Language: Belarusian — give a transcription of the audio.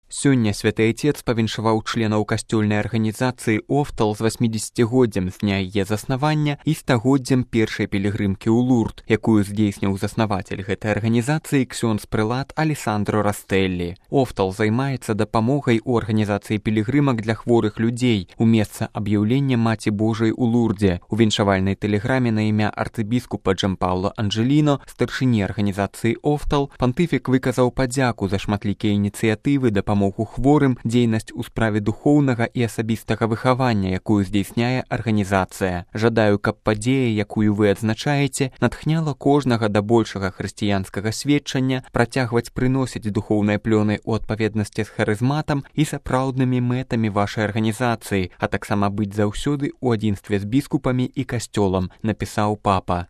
Сёння святы Отец павіншаваў членаў касцёльнай арганізацыі «Офтал» з 80годдзям з дня яе заснавання і 100годдзям першай пілігрымкі ў Лурд, якую здзейсніў заснаватель гэтай арганізацыі ксёндз-прэлат Алессандро Растэллі. «Офтал» займаецца дапамогай у арганізацыі пілігрымак для хворых людзей у месца аб'яўлення Маці Божай у Лурдзе. У віншавальнай тэлеграме на імя арцыбіскупа Джампауло Анджеліно, старшыні арганізацыі «Офтал», пантыфік выказаў падзяку за шматлікія ініцыятывы дапамогу хворым, дзейнасць у справе духоўнага і асабістага выхавання, якую здзейсняе арганізацыя. Жадаю, каб падзея, якую вы адзначаеце, натхняла кожнага да большага хрысціянскага сведчання, працягваць прыносіць духоўныя плёны ў адпаведнасці з харызматам і сапраўднымі мэтамі вашай арганізацыі, а таксама быць заўсёды ў адзінстве з біскупамі і касцёлам, напісаў папа.